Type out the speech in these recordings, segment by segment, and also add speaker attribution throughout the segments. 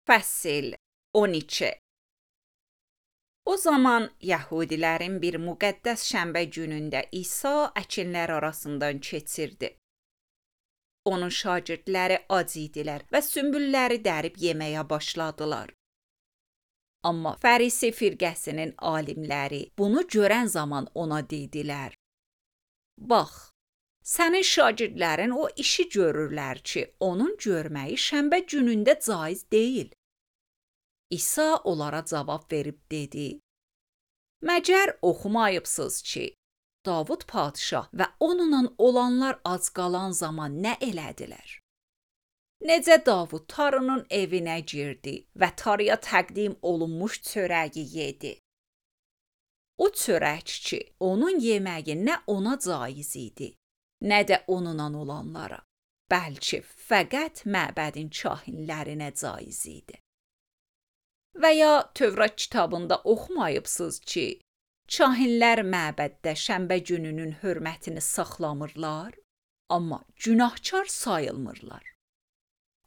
Speaker 1: Fəsil 12. O zaman Yahudilərin bir müqəddəs şənbə günündə İsa əkinlər arasından keçirdi. Onun şagirdləri ac idilər və sümbülləri dərib yeməyə başladılar. Amma Fərisi firqəsinin alimləri bunu görən zaman ona dedilər: Bax, sənin şagirdlərin o işi görürlər ki, onun görməyi şənbə günündə caiz deyil. İsa onlara cavab verib dedi: Məcər oxumayıbsınız ki, Davud padşah və onunla olanlar ac qalan zaman nə elədilər? Necə Davud tarının evinə girdi və tarıya təqdim olunmuş çörəyi yedi. O çörəkçi onun yeməyi nə ona caiz idi, nə də onunla olanlara, bəlkə fəqət məbədin kahinlərinə caiz idi. Və ya Tövrat kitabında oxumayıbsınız ki, kahinlər məbəddə şənbə gününün hörmətini saxlamırlar, amma günahkar sayılmırlar.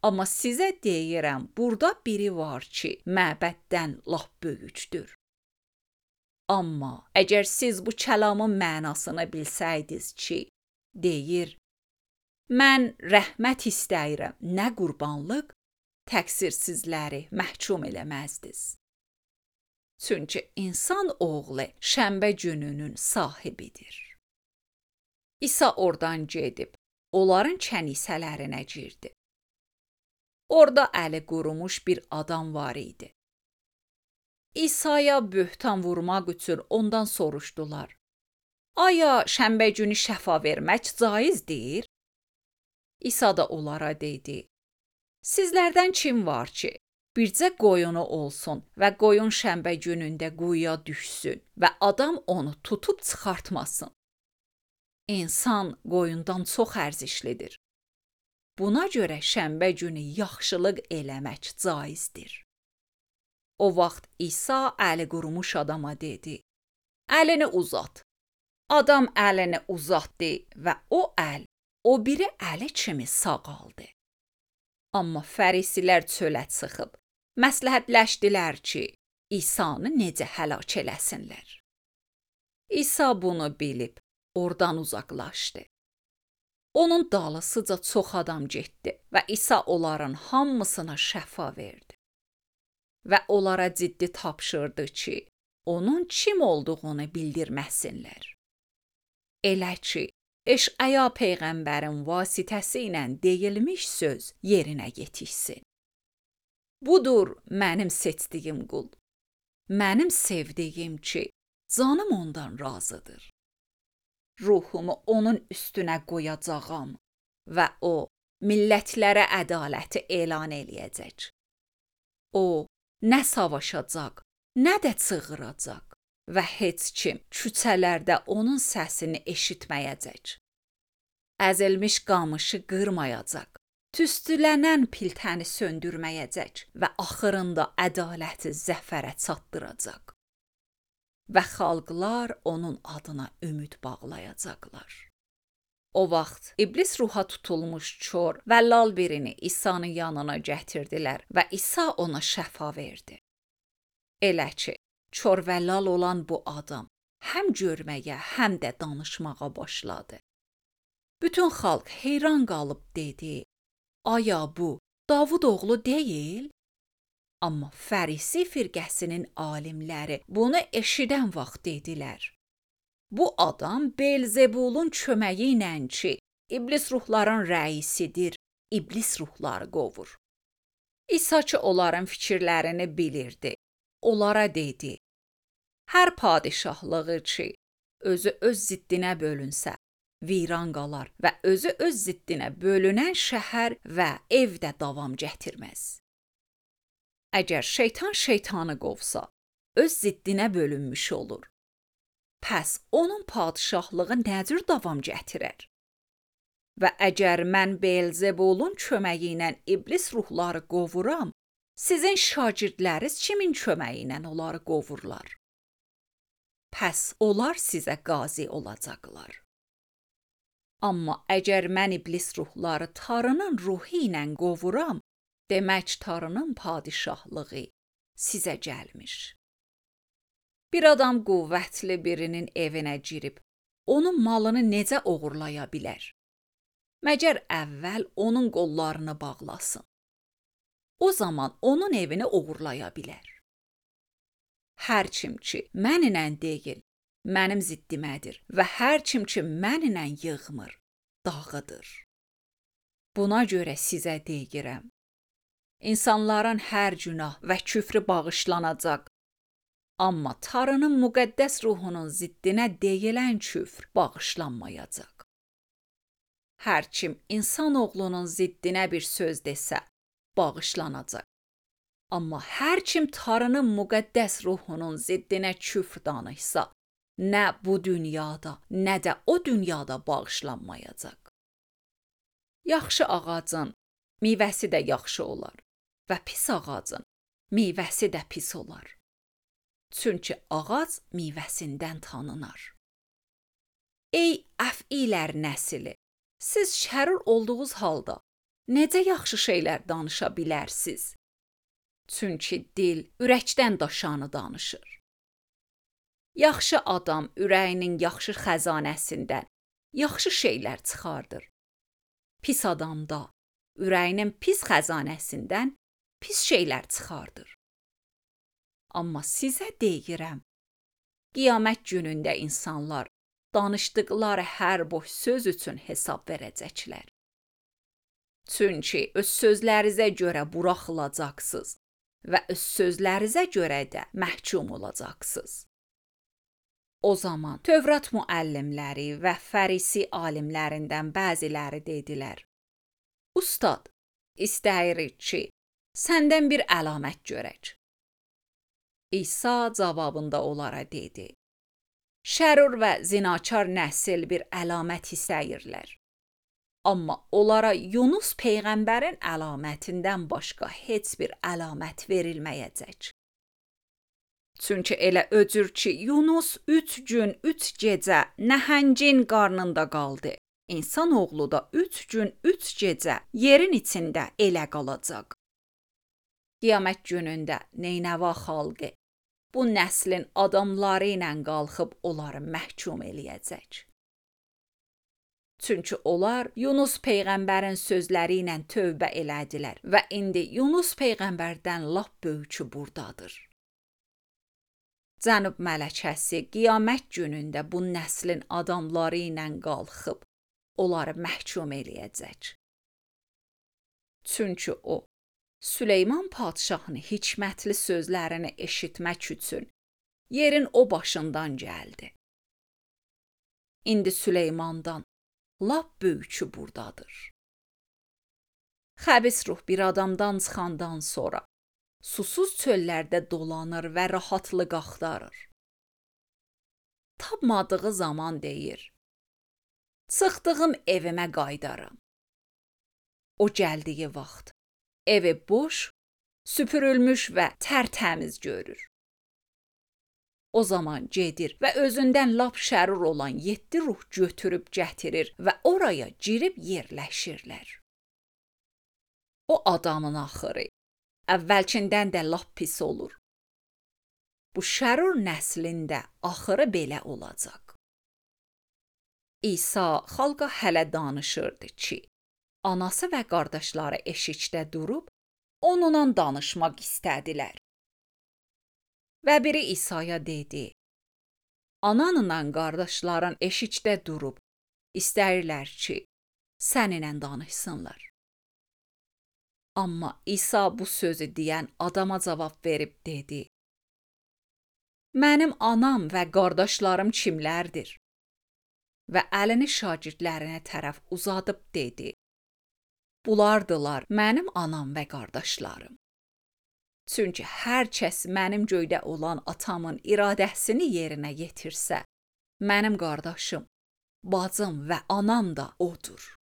Speaker 1: Amma sizə deyirəm, burada biri var ki, məbəddən lap böyükdür. Amma əgər siz bu kəlamın mənasını bilsəydiniz ki, deyir, mən rəhmət istəyirəm, nə qurbanlıq, təqsirsizləri məhkum eləməzdiniz. Çünki insan oğlu şənbə gününün sahibidir. İsa oradan gedib, onların kənisələrinə girdi. Orada əli qurumuş bir adam var idi. İsa'ya böhtan vurmaq üçün ondan soruşdular: Aya şənbə günü şəfa vermək caizdir? İsa da onlara dedi: Sizlərdən kim var ki, bircə qoyunu olsun və qoyun şənbə günündə quyuya düşsün və adam onu tutub çıxartmasın? İnsan qoyundan çox ərzişlidir. Buna görə şənbə günü yaxşılıq eləmək caizdir. O vaxt İsa əli qurumuş adama dedi: Əlini uzat. Adam əlini uzatdı və o əl, o biri əli kimi sağaldı. Amma fərisilər çölə çıxıb, məsləhətləşdilər ki, İsanı necə həlak eləsinlər. İsa bunu bilib, oradan uzaqlaşdı. Onun dalısıca çox adam getdi və İsa onların hamısına şəfa verdi. Və onlara ciddi tapşırdı ki, onun kim olduğunu bildirməsinlər. Elə ki, Eşaya peyğəmbərin vasitəsi ilə deyilmiş söz yerinə yetişsin. Budur mənim seçdiyim qul. Mənim sevdiyim ki, canım ondan razıdır. Ruhumu onun üstünə qoyacağam və o, millətlərə ədaləti elan eləyəcək. O, nə savaşacaq, nə də çığıracaq və heç kim küçələrdə onun səsini eşitməyəcək. Əzilmiş qamışı qırmayacaq, tüstülənən piltəni söndürməyəcək və axırında ədaləti zəfərə çatdıracaq. Və xalqlar onun adına ümid bağlayacaqlar. O vaxt iblis ruha tutulmuş kör və lal birini İsa'nın yanına gətirdilər və İsa ona şəfa verdi. Elə ki, kör və lal olan bu adam həm görməyə, həm də danışmağa başladı. Bütün xalq heyran qalıb dedi: Aya bu Davud oğlu deyil? Amma Fərisi firqəsinin alimləri bunu eşidən vaxt dedilər: Bu adam Belzebulun köməyi ilə ki, iblis ruhların rəisidir, iblis ruhları qovur. İsa ki, onların fikirlərini bilirdi. Onlara dedi: Hər padişahlığı ki, özü öz ziddinə bölünsə, viran qalar və özü öz ziddinə bölünən şəhər və ev də davam gətirməz. Əgər şeytanı qovsa, öz ziddinə bölünmüş olur. Pəs onun padişahlığı nə cür davam gətirər? Və əgər mən Belzebulun köməyi ilə iblis ruhları qovuram, sizin şagirdləriniz kimin köməyi ilə onları qovurlar? Pəs onlar sizə qazi olacaqlar. Amma əgər mən iblis ruhları tarının ruhu ilə qovuram, Demək Tanrının padişahlığı sizə gəlmiş. Bir adam qüvvətli birinin evinə girib, onun malını necə oğurlaya bilər? Məgər əvvəl onun qollarını bağlasın. O zaman onun evini oğurlaya bilər. Hər kim ki mənimlə deyil, mənim ziddimədir və hər kim ki mənimlə yığmır, dağıdır. Buna görə sizə deyirəm, insanların hər günah və küfrü bağışlanacaq, amma Tanrının müqəddəs ruhunun ziddinə deyilən küfr bağışlanmayacaq. Hər kim insan oğlunun ziddinə bir söz desə, bağışlanacaq. Amma hər kim Tanrının müqəddəs ruhunun ziddinə küfr danışsa, nə bu dünyada, nə də o dünyada bağışlanmayacaq. Yaxşı ağacın meyvəsi də yaxşı olar və pis ağacın meyvəsi də pis olar. Çünki ağac meyvəsindən tanınar. Ey əfilər nəsli, siz şərur olduğunuz halda necə yaxşı şeylər danışa bilərsiniz? Çünki dil ürəkdən daşanı danışır. Yaxşı adam ürəyinin yaxşı xəzanəsindən yaxşı şeylər çıxardır. Pis adam da ürəyinin pis xəzanəsindən pis şeylər çıxardır. Amma sizə deyirəm, qiyamət günündə insanlar danışdıqları hər boş söz üçün hesab verəcəklər. Çünki öz sözlərinizə görə buraxılacaqsınız və öz sözlərinizə görə də məhkum olacaqsınız. O zaman Tövrat müəllimləri və Fərisi alimlərindən bəziləri dedilər: Ustad, istəyirik ki, səndən bir əlamət görək. İsa cavabında onlara dedi: Şərur və zinakar nəsil bir əlamət istəyirlər. Amma onlara Yunus peyğəmbərin əlamətindən başqa heç bir əlamət verilməyəcək. Çünki elə öcür ki, Yunus 3 gün, 3 gecə nəhəngin qarnında qaldı. İnsan oğlu da 3 gün, 3 gecə yerin içində elə qalacaq. Qiyamət günündə Neynəva xalqı bu nəslin adamları ilə qalxıb onları məhkum eləyəcək. Çünki onlar Yunus peyğəmbərin sözləri ilə tövbə elədilər və indi Yunus peyğəmbərdən lap böyükü burdadır. Cənub mələkəsi qiyamət günündə bu nəslin adamları ilə qalxıb onları məhkum eləyəcək. Çünki o, Süleyman padşahın hikmətli sözlərini eşitmək üçün yerin o başından gəldi. İndi Süleymandan lap böyükü burdadır. Xəbis ruh bir adamdan çıxandan sonra susuz çöllərdə dolanır və rahatlıq axtarır. Tapmadığı zaman deyir: Çıxdığım evimə qayıdaram. O gəldiyi vaxt evi boş, süpürülmüş və tərtəmiz görür. O zaman gedir və özündən lap şərur olan 7 ruh götürüb gətirir və oraya girib yerləşirlər. O adamın axırı əvvəlkindən də lap pis olur. Bu şərur nəslində axırı belə olacaq. İsa xalqa hələ danışırdı ki, anası və qardaşları eşikdə durub onunla danışmaq istədilər. Və biri İsa'ya dedi: Ananla qardaşların eşikdə durub istəyirlər ki, səninlə danışsınlar. Amma İsa bu sözü deyən adama cavab verib dedi: Mənim anam və qardaşlarım kimlərdir? Və əlini şagirdlərinə tərəf uzadıb dedi: Bulardılar mənim anam və qardaşlarım. Çünki hər kəs mənim göydə olan atamın iradəsini yerinə yetirsə, mənim qardaşım, bacım və anam da odur.